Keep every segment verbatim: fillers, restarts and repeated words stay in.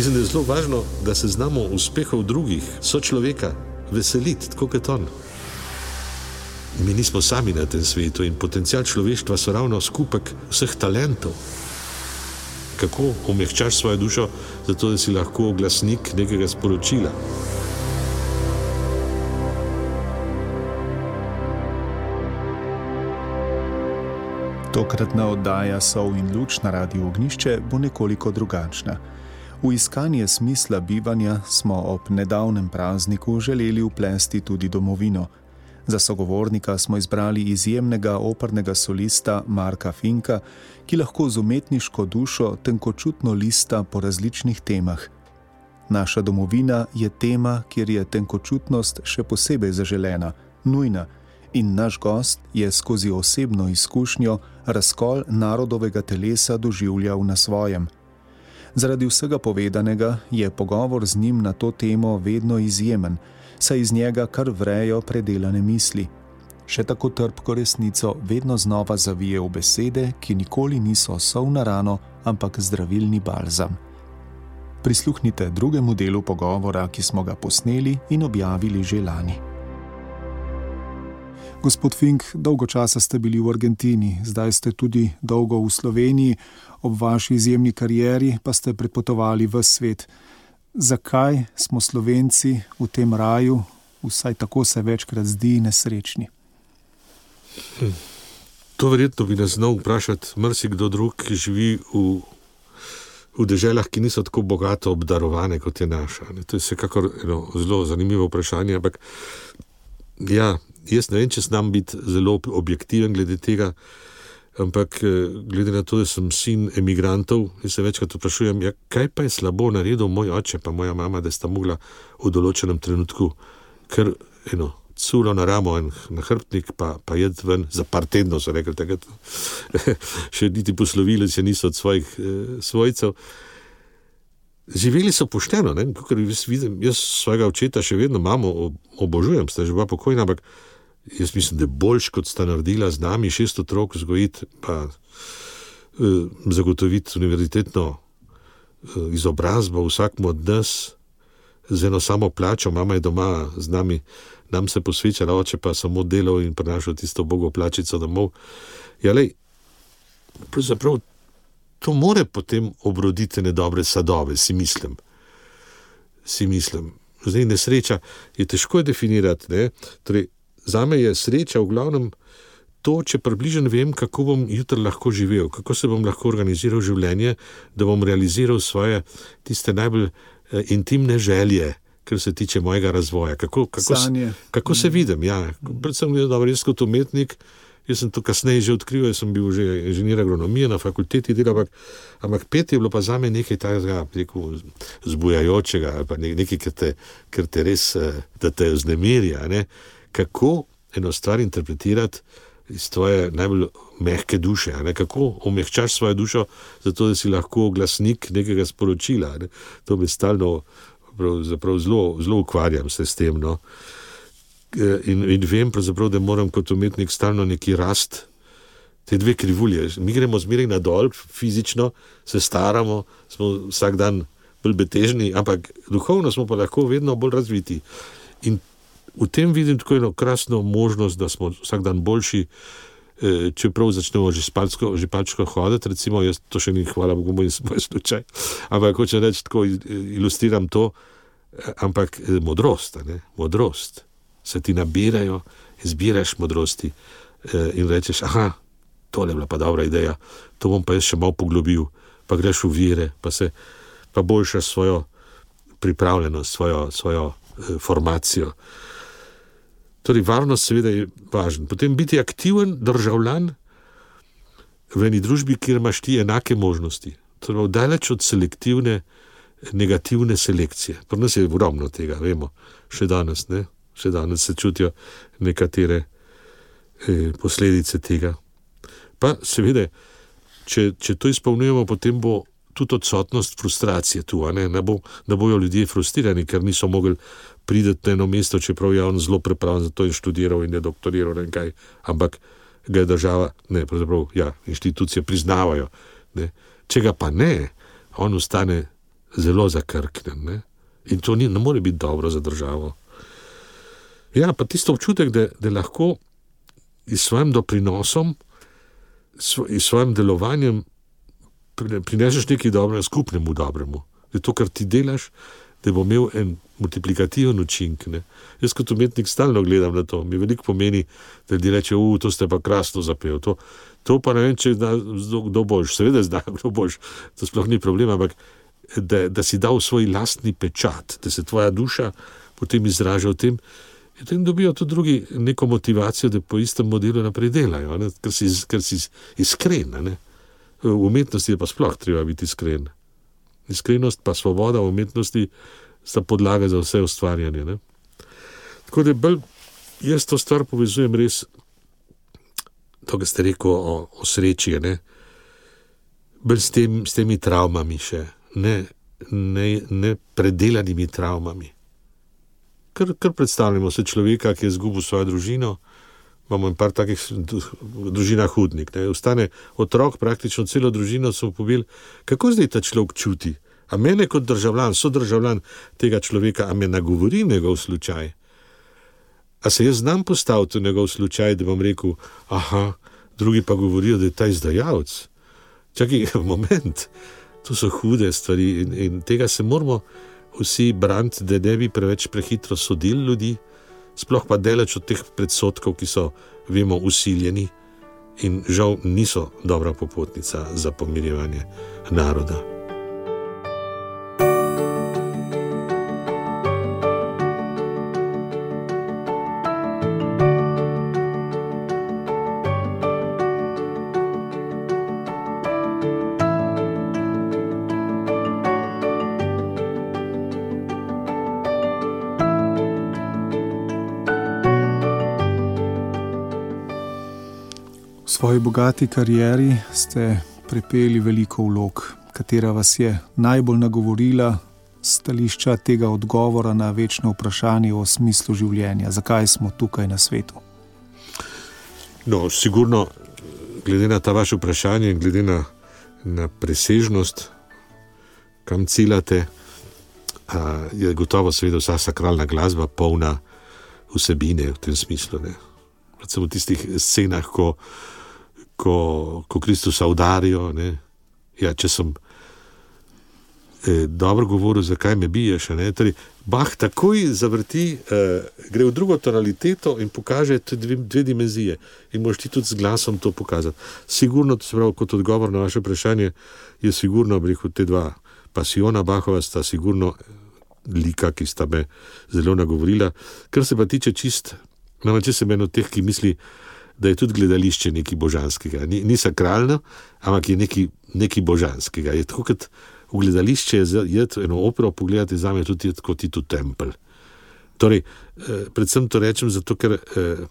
Mislim, da je zelo važno, da se znamo uspehov drugih, sočloveka, veseliti, tako kot on. Mi nismo sami na tem svetu in potencial človeštva so ravno skupek vseh talentov. Kako omehčaš svojo dušo, zato da si lahko glasnik nekega sporočila. Tokratna oddaja Sol in luč na Radiu Ognjišče bo nekoliko drugačna. V iskanje smisla bivanja smo ob nedavnem prazniku želeli vplesti tudi domovino. Za sogovornika smo izbrali izjemnega opernega solista Marka Finka, ki lahko z umetniško dušo tenkočutno lista po različnih temah. Naša domovina je tema, kjer je tenkočutnost še posebej zaželena, nujna, in naš gost je skozi osebno izkušnjo razkol narodovega telesa doživljal na svojem. Zaradi vsega povedanega je pogovor z njim na to temo vedno izjemen, saj iz njega kar vrejo predelane misli. Še tako trpko resnico vedno znova zavije v besede, ki nikoli niso sol na rano, ampak zdravilni balzam. Prisluhnite drugemu delu pogovora, ki smo ga posneli in objavili že lani. Gospod Fink, dolgo časa ste bili v Argentini, zdaj ste tudi dolgo v Sloveniji, ob vaši izjemni karieri pa ste prepotovali ves svet. Zakaj smo Slovenci v tem raju, vsaj tako se večkrat zdi, nesrečni? Hm. To verjetno bi nas znal vprašati marsikdo drug, ki živi v, v deželah, ki niso tako bogato obdarovane, kot je naša. To je vsekakor eno zelo zanimivo vprašanje, ampak ja, jaz ne vem, če znam biti zelo objektiven glede tega, ampak glede na to, da sem sin emigrantov, in se večkrat vprašujem, ja, kaj pa je slabo naredil moj oče pa moja mama, da sta mogla v določenem trenutku kar eno culo na ramo in na hrbtnik, pa, pa jed ven za par tednov, so rekli takrat. Še niti poslovili se niso od svojih eh, svojcev. Živeli so pošteno, ne? Kakor jaz vidim, jaz svojega očeta še vedno mamo obožujem, sta že bila pokojna, ampak jaz mislim, da je boljš, kot sta naredila z nami šest otrok vzgojiti, pa eh, zagotoviti univerzitetno eh, izobrazbo vsakmu od nas z eno samo plačo. Mama je doma z nami, nam se posvečala, oče pa samo delal in prinašal tisto bogo plačico domov. Ja, lej, pravzaprav to more potem obroditi nedobre sadove, si mislim. Si mislim. Zdaj, nesreča je težko definirati, ne? Torej, zame je sreča v glavnem to, če približno vem, kako bom jutri lahko živel, kako se bom lahko organiziral življenje, da bom realiziral svoje tiste najbolj eh, intimne želje, kar se tiče mojega razvoja. Kako, kako, kako se vidim, ja. Predvsem je dobro, jaz kot umetnik, jaz sem to kasneje že odkril, jaz sem bil že inženir agronomije na fakulteti dela, ampak, ampak pet je bilo pa zame nekaj takega, rekel, zbujajočega, ali pa nekaj, kar te, kar te res, da te vznemirja, ne. Kako eno stvar interpretirati iz tvoje najbolj mehke duše, ne? Kako omehčaš svojo dušo, zato da si lahko glasnik nekega sporočila. Ne? To me stalno pravzaprav zelo, zelo ukvarjam se s tem. No? In, in vem pravzaprav, da moram kot umetnik stalno neki rast, te dve krivulje. Mi gremo zmeraj nadol, fizično, se staramo, smo vsak dan bolj betežni, ampak duhovno smo pa lahko vedno bolj razviti. In v tem vidim tako eno krasno možnost, da smo vsak dan boljši, čeprav začnemo že spalčko, že palčko hoditi, recimo, jaz to še ni, hvala Bogu, moj, moj slučaj, ampak hoče reči, tako ilustriram to, ampak modrost, ne? Modrost. Se ti nabirajo, izbiraš modrosti in rečeš, aha, tole je bila pa dobra ideja, to bom pa jaz še malo poglobil, pa greš v vire, pa se, pa boljšaš svojo pripravljenost, svojo, svojo formacijo. Torej, varnost seveda je važna. Potem biti aktiven državljan v eni družbi, kjer imaš ti enake možnosti. Torej, daleč od selektivne, negativne selekcije. Pri nas je ogromno tega, vemo, še danes, ne? Še danes se čutijo nekatere eh, posledice tega. Pa seveda, če, če to izpolnjujemo, potem bo tudi odsotnost frustracije tu, a ne? Ne bo, da bojo ljudje frustrirani, ker niso mogli prideti na eno mesto, čeprav je on zelo prepravljen, zato je študiral in je doktoriral in kaj, ampak ga je država, ne, pravzaprav, ja, inštitucije priznavajo, ne. Če ga pa ne, on ostane zelo zakrknen. Ne? In to ni, ne more biti dobro za državo. Ja, pa tisto občutek, da, da lahko s svojim doprinosom, s svojim delovanjem prineseš nekaj dobrega skupnemu dobremu. Da to, kar ti delaš, da bo imel en multiplikativen učink. Ne? Jaz kot umetnik stalno gledam na to. Mi veliko pomeni, da ljudje reče, u, to ste pa krasno zapel. To, to pa ne vem, če zna kdo boljš. Seveda zna kdo boljš. To sploh ni problem, ampak da, da si dal svoj lastni pečat, da se tvoja duša potem izraža v tem, in potem dobijo tudi drugi neko motivacijo, da po istem modelu naprej delajo, ne? Ker si, ker si iskren. Ne? V umetnosti je pa sploh treba biti iskren. Iskrenost pa svoboda v umetnosti sta podlaga za vse ustvarjanje. Ne? Tako da bolj jaz to stvar povezujem res, to, kar ste rekel o, o sreči, ne? Bolj s, tem, s temi travmami še, ne, ne, ne predelanimi travmami. Ker, ker predstavljamo se človeka, ki je izgubil svojo družino, imamo en par takih družina hudnik. Ne? Ostane otrok, praktično celo družino so pobili. Kako zdaj ta človek čuti? A mene kot državljan, sodržavljan tega človeka, a me nagovori njegov slučaj? A se jaz znam postaviti v njegov slučaj, da bom rekel, aha, drugi pa govorijo, da je ta izdajalec. Čakaj, moment, to so hude stvari in, in tega se moramo vsi braniti, da ne bi preveč prehitro sodili ljudi, sploh pa daleč od teh predsodkov, ki so, vemo, usiljeni in žal niso dobra popotnica za pomirjevanje naroda. V svoji bogati karieri ste prepeli veliko vlog, katera vas je najbolj nagovorila s stališča tega odgovora na večno vprašanje o smislu življenja. Zakaj smo tukaj na svetu? No, sigurno, glede na ta vaše vprašanje in glede na, na presežnost, kam ciljate, je gotovo seveda vsa sakralna glasba polna vsebine v tem smislu. Ne? Predvsem v tistih scenah, ko Ko, ko Kristusa udarijo, ne? Ja, če sem eh, dobro govoril, zakaj me biješ, ne? Torej, Bach takoj zavrti, eh, gre v drugo tonaliteto in pokaže dve, dve dimenzije in moraš ti tudi z glasom to pokazati. Sigurno, to se pravi, kot odgovor na vaše vprašanje, je sigurno, rekel, te dva pasiona Bachova sta sigurno lika, ki sta me zelo nagovorila. Kar se pa tiče čist, namreč sem eno teh, ki misli, da je tudi gledališče nekaj božanskega. Ni, ni sakralno, ampak je nekaj, nekaj božanskega. Je tako, kot v gledališče je eno opero pogledati, zame tudi je kot iti v tempelj. Torej, eh, predvsem to rečem zato, ker eh,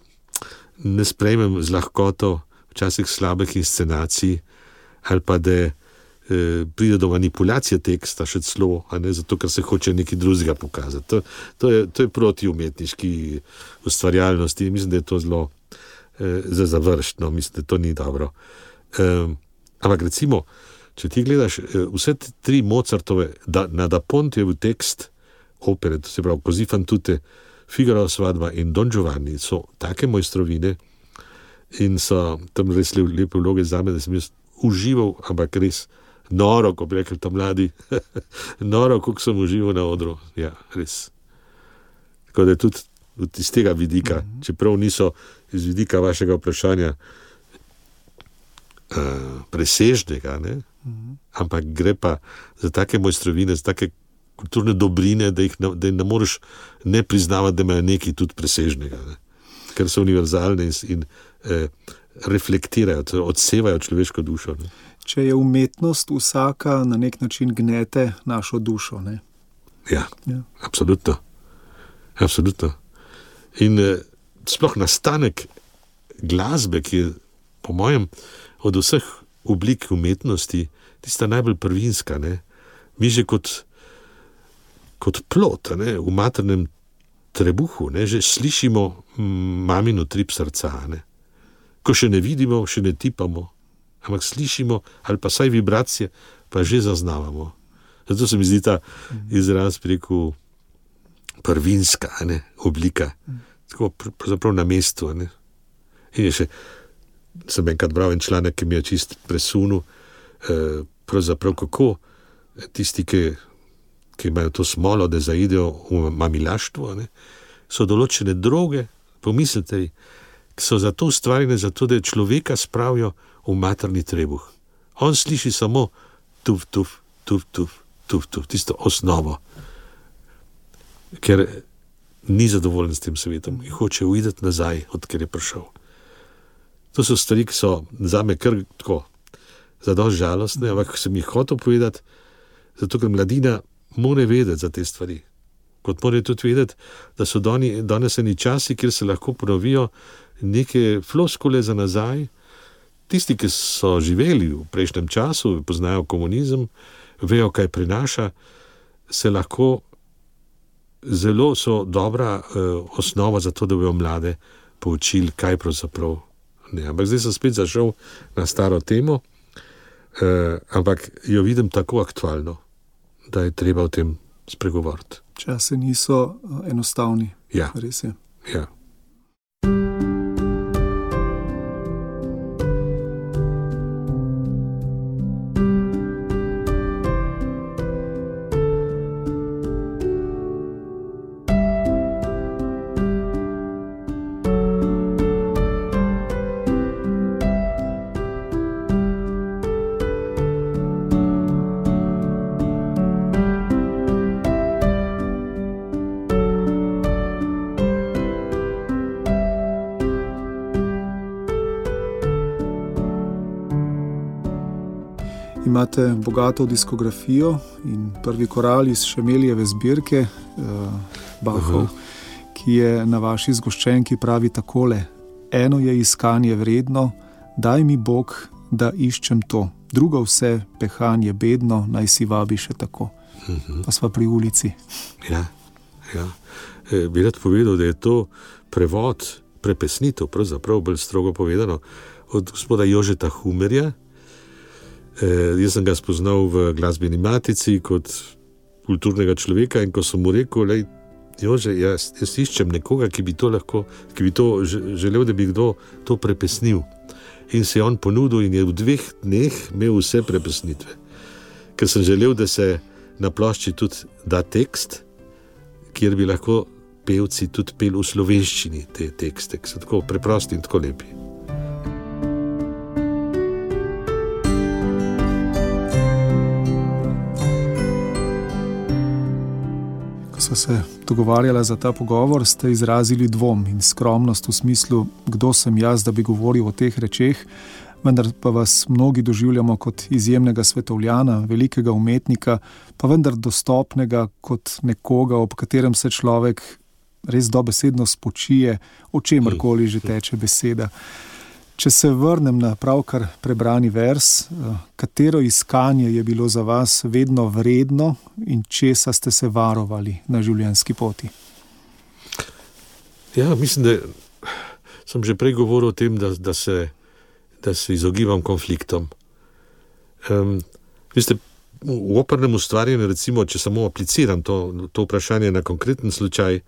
ne sprejmem z lahkoto včasih slabih inscenacij ali pa da eh, pride do manipulacije teksta še celo, a ne zato, ker se hoče nekaj drugega pokazati. To, to, je, to je proti umetniški ustvarjalnosti. Mislim, da je to zelo za završno, mislim, da to ni dobro. Um, ampak recimo, če ti gledaš vse tri Mozartove, da, na Da Pontejev tekst opere, to se pravi Così fan tutte, Figaro svadba in Don Giovanni, so take mojstrovine in so tam res lepe vloge zame, da sem jaz užival, ampak res noro, ko bi rekel ta mladi, noro, koliko sem užival na odru. Ja, res. Tako da je tudi iz tega vidika, mm-hmm. čeprav niso iz vidika vašega vprašanja uh, presežnega, ne? Mm-hmm. ampak gre pa za take mojstrovine, za take kulturne dobrine, da jih ne, da jih ne moreš ne priznavati, da imajo nekaj tudi presežnega, ne? Ker so univerzalne in, in eh, reflektirajo, odsevajo človeško dušo. Ne? Če je umetnost vsaka na nek način gnete našo dušo, ne? Ja, ja. absolutno. Absolutno. In eh, sploh nastanek glasbe, ki je po mojem od vseh oblik umetnosti tista najbolj prvinska, ne? Mi že kot, kot plod, ne? V maternem trebuhu, ne? Že slišimo mamino trip srca, ne? Ko še ne vidimo, še ne tipamo, ampak slišimo ali pa saj vibracije, pa že zaznavamo. Zato se mi zdi ta izraz preko prvinska, ne, oblika, tako pravzaprav na mestu. Ne. In je še, sem enkrat bral en članek, ki mi je čist presunil, eh, pravzaprav kako tisti, ki, ki imajo to smolo, da zaidejo v mamilaštvo, ne, so določene droge, pomislite, ki so zato ustvarjene, zato da človeka spravijo v materni trebuh. On sliši samo tuf, tuf, tuf, tuf, tuf, tuf, tisto osnovo, ker ni zadovoljen s tem svetom in hoče uideti nazaj, odkjer je prišel. To so stvari, ki so zame kar tako zadosti žalostne, ampak sem jih hotel povedati, zato ker mladina mora vedeti za te stvari. Kot mora tudi vedeti, da so doni, danes eni časi, kjer se lahko ponovijo neke floskule za nazaj. Tisti, ki so živeli v prejšnjem času, poznajo komunizem, vejo, kaj prinaša, se lahko zelo so dobra uh, osnova za to, da bojo mlade poučili, kaj pravzaprav ne. Ampak zdaj sem spet zašel na staro temo, uh, ampak jo vidim tako aktualno, da je treba o tem spregovoriti. Časi niso enostavni. Ja. Res je. Ja. Imate bogato diskografijo in prvi koral iz Šemelijeve zbirke, uh, Bachov, uh-huh. ki je na vaši zgoščenki pravi takole: eno je iskanje vredno, daj mi Bog, da iščem to, drugo vse pehanje bedno, naj si vabi še tako. Uh-huh. Pa sva pri ulici. Ja, ja. E, bi rad povedal, da je to prevod, prepesnitev, pravzaprav bolj strogo povedano, od gospoda Jožeta Humerja. Eh, jaz sem ga spoznal v glasbeni matici kot kulturnega človeka in ko sem mu rekel, lej, Jože, jaz, jaz iščem nekoga, ki bi to lahko, ki bi to želel, da bi kdo to prepesnil. In se je on ponudil in je v dveh dneh imel vse prepesnitve. Ker sem želel, da se na plošči tudi da tekst, kjer bi lahko pevci tudi pel v slovenščini te tekste, ki so tako preprosti in tako lepi. Ko so se dogovarjala za ta pogovor, ste izrazili dvom in skromnost v smislu, kdo sem jaz, da bi govoril o teh rečeh, vendar pa vas mnogi doživljamo kot izjemnega svetovljana, velikega umetnika, pa vendar dostopnega kot nekoga, ob katerem se človek res dobesedno spočije, o čemarkoli že teče beseda. Če se vrnem na pravkar prebrani vers, katero iskanje je bilo za vas vedno vredno in česa ste se varovali na življenjski poti? Ja, mislim, da sem že prej govoril o tem, da, da, se, da se izogibam konfliktom. Um, veste, v opernem ustvarjanju, recimo, če samo apliciram to, to vprašanje na konkreten slučaj,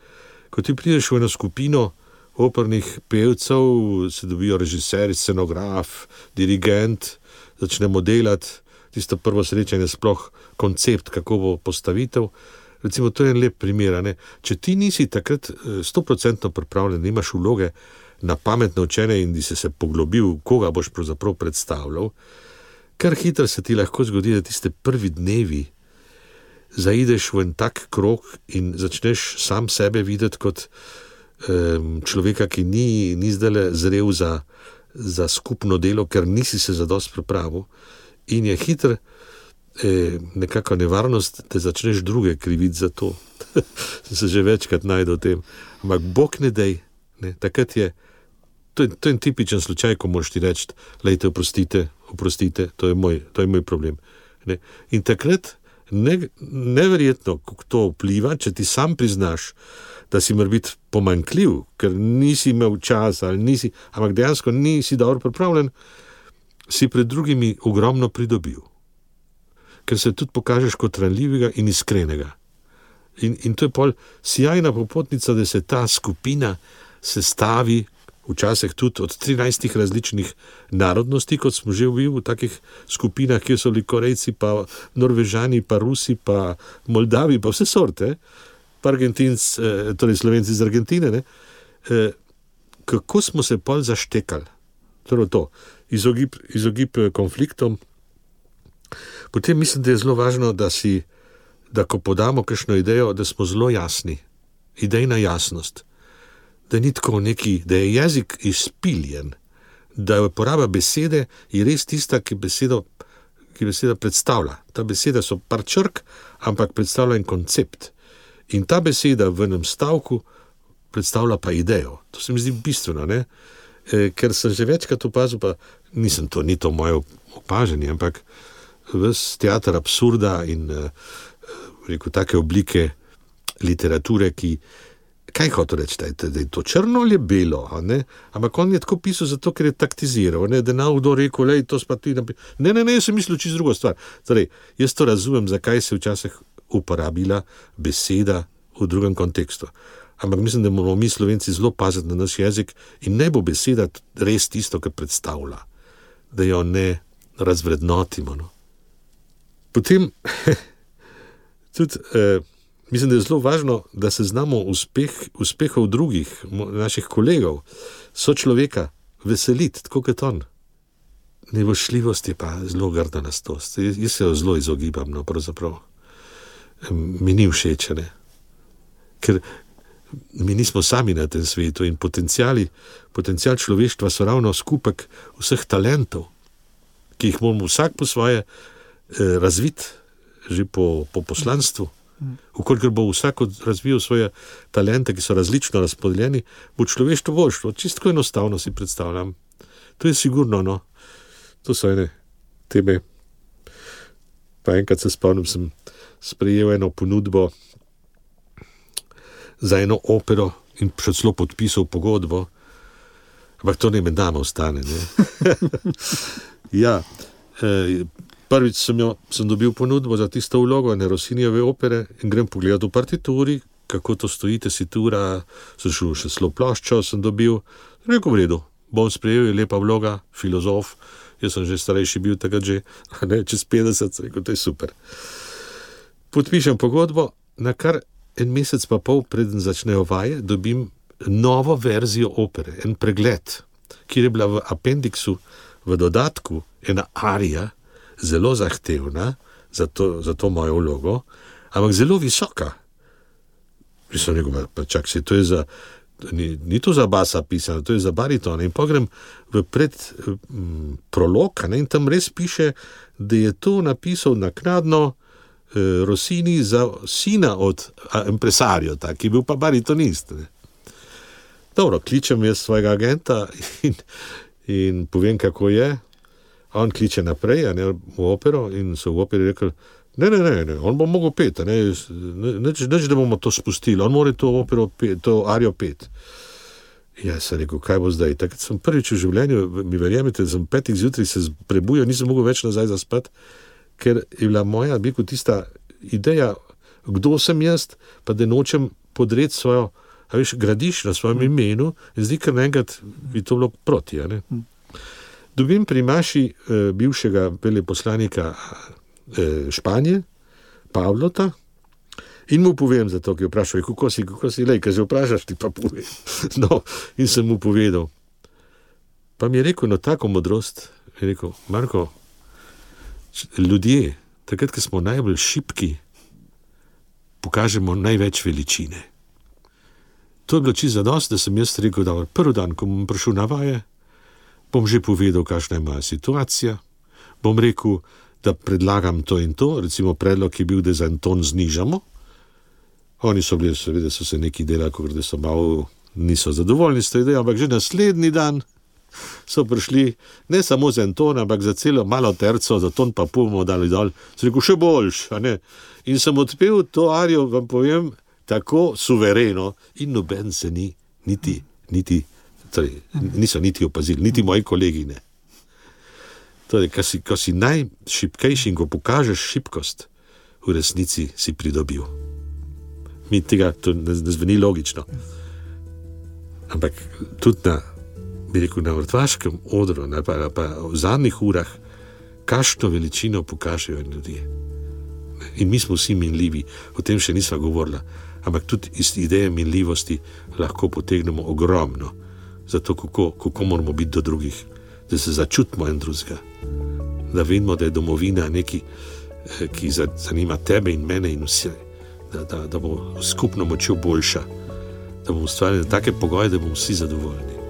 ko ti prideš v eno skupino opernih pevcev, se dobijo režiser, scenograf, dirigent, začnemo delati, tisto prvo srečanje, sploh koncept, kako bo postavitev. Recimo, to je en lep primer. Ne? Če ti nisi takrat sto procentno pripravljen, imaš vloge na pametno učenje in di si se poglobil, koga boš pravzaprav predstavljal, kar hitro se ti lahko zgodi, da tiste prvi dnevi zaideš v en tak krog in začneš sam sebe videti kot človeka, ki ni, ni zdajle zrel za, za skupno delo, ker nisi se zadosti pripravil in je hitro eh, nekako nevarnost, da začneš druge kriviti za to. Sem se že večkrat najdel v tem. Ampak Bog ne dej, ne, takrat je, to je, to je en tipičen slučaj, ko moraš ti reči, lejte, oprostite, oprostite, to je moj, to je moj problem. Ne. In takrat ne, neverjetno, kako to vpliva, če ti sam priznaš, da si mora biti pomanjkljiv, ker nisi imel časa, ali nisi, ampak dejansko nisi dobro pripravljen, si pred drugimi ogromno pridobil. ker se tudi pokažeš kot ranljivega in iskrenega. In, in to je pol sjajna popotnica, da se ta skupina sestavi včasih tudi od trinajstih različnih narodnosti, kot smo že bili v takih skupinah, kjer so bili Korejci, pa Norvežani, pa Rusi, pa Moldavi, pa vse sorte, pa Argentinci, torej Slovenci iz Argentine, ne? Kako smo se pol zaštekali, torej to, izogib, izogib konfliktom. Potem mislim, da je zelo važno, da si, da ko podamo kakšno idejo, da smo zelo jasni, idejna jasnost, da ni tako neki, da je jezik izpiljen, da je uporaba besede je res tista, ki besedo, ki beseda predstavlja. Ta beseda so par črk, ampak predstavlja en koncept. In ta beseda v enem stavku predstavlja pa idejo. To se mi zdi bistveno, ne? E, ker sem že večkrat opazil, pa nisem to, ni to moje opaženje, ampak ves teater absurda in rekel, take oblike literature, ki, kaj hotel reči, da je to črno ali belo, a ne? Ampak on je tako pisal zato, ker je taktiziral, ne? Da je kdo rekel, lej, to spa ti napisal. Ne, ne, ne, jaz sem mislil čisto drugo stvar. Torej, jaz to razumem, zakaj se včasih uporabila beseda v drugem kontekstu. Ampak mislim, da moramo mi Slovenci zelo paziti na naš jezik in ne bo beseda res tisto, kar predstavlja, da jo ne razvrednotimo. No? Potem, tudi, eh, mislim, da je zelo važno, da se znamo uspeh, uspehov drugih, naših kolegov, sočloveka veseliti, tako kot on. Nevošljivost je pa zelo grda nastost. Jaz se jo zelo izogibam, no, pravzaprav. Mi ni všeč, ne. Ker mi nismo sami na tem svetu in potenciali, potencial človeštva so ravno skupek vseh talentov, ki jih moramo vsak po svoje eh, razviti, že po, po poslanstvu. Ukolikor bo vsak razvijal svoje talente, ki so različno razpodeljeni, bo človeštvo boljše. Čisto enostavno si predstavljam. To je sigurno, no. To so ene teme. Pa enkrat se spomnim, sem sprejel eno ponudbo za eno opero in še celo podpisal pogodbo, ampak to ne med nama ostane, ne. Ja, eh, prvič sem, jo, sem dobil ponudbo za tisto vlogo ene Rossinijeve opere in grem pogledati v partituri, kako to stoji, tesitura, sem šel še celo ploščo, sem dobil, rekel v redu, bom sprejel, je lepa vloga, filozof, jaz sem že starejši bil takrat že, ne, čez petdeset, rekel, to je super. Podpišem pogodbo, na kar en mesec pa pol preden začnejo vaje, dobim novo verzijo opere, en pregled, kjer je bila v apendiksu, v dodatku, ena arija, zelo zahtevna za to, za to mojo vlogo, ampak zelo visoka. In sem rekel, pa čak se, to je za, ni, ni to za basa pisano, to je za bariton. In pogrem v pred m, prolog, ne, in tam res piše, da je to napisal naknadno eh, Rossini za sina od impresarja, ki je bil pa baritonist. Ne. Dobro, kličem jaz svojega agenta in, in povem, kako je. On kliče naprej, a ne, v opero in so v operi rekli, ne, ne, ne, ne, on bo mogel pet, ne, neč, neč, da bomo to spustili, on mora to opero, pet, to arijo pet. Ja, sem rekel, kaj bo zdaj? Takrat sem prvič v življenju, mi verjemite, sem petih zjutraj se prebujal, nisem mogel več nazaj zaspati, ker je bila moja, bi kot tista ideja, kdo sem jaz, pa da nočem podreti svojo, a veš, gradiš na svojem imenu in zdi, ker naenkrat bi to bilo proti, a ne. Dobim pri Maši eh, bivšega veleposlanika eh, Španije, Pavlota, in mu povem za to, ki je vprašal, kako si, kako si, lej, kaj že vprašaš, ti pa povem. No, in sem mu povedal. Pa mi je rekel, no, tako modrost, je rekel, Marko, ljudje, takrat, ko smo najbolj šibki, pokažemo največ veličine. To je bilo čisto zadost, da sem jaz rekel, da prvi dan, ko bom prišel na vaje, bom že povedal, kakšna je moja situacija, bom rekel, da predlagam to in to, recimo predlog je bil, da za en ton znižamo. Oni so bili, seveda so se neki delali, kot da so malo, niso zadovoljni s to idejo, ampak že naslednji dan so prišli ne samo za en ton, ampak za celo malo terco, za ton pa pol bomo dali dol. Sem rekel, še boljš, a ne. In sem odpel to arijo, vam povem, tako suvereno in noben se ni, niti, niti, torej, niso niti opazili, niti moji kolegi ne. Torej, ko si, ko si najšibkejši in ko pokažeš šibkost, v resnici si pridobil. Mi tega, to ne, ne zveni logično. Ampak tudi na, bi rekel, na vrtvaškem odru, ne, pa, pa v zadnjih urah, kakšno veličino pokažejo ljudje. In mi smo vsi minljivi, o tem še nisva govorila, ampak tudi iz ideje minljivosti lahko potegnemo ogromno, zato kako, kako moramo biti do drugih, da se začutimo en drugega, da vidimo, da je domovina nekaj, ki zanima tebe in mene in vse, da, da, da bo skupno močjo boljša, da bomo ustvarili take pogoje, da bomo vsi zadovoljni.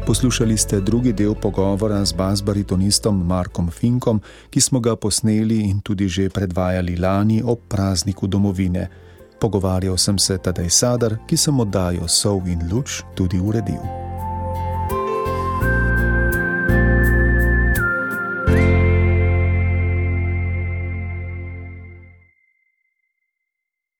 Poslušali ste drugi del pogovora z bas-baritonistom Markom Finkom, ki smo ga posneli in tudi že predvajali lani ob prazniku domovine. Pogovarjal sem se Tadej Sadar, ki sem oddajo Sol in luč tudi uredil.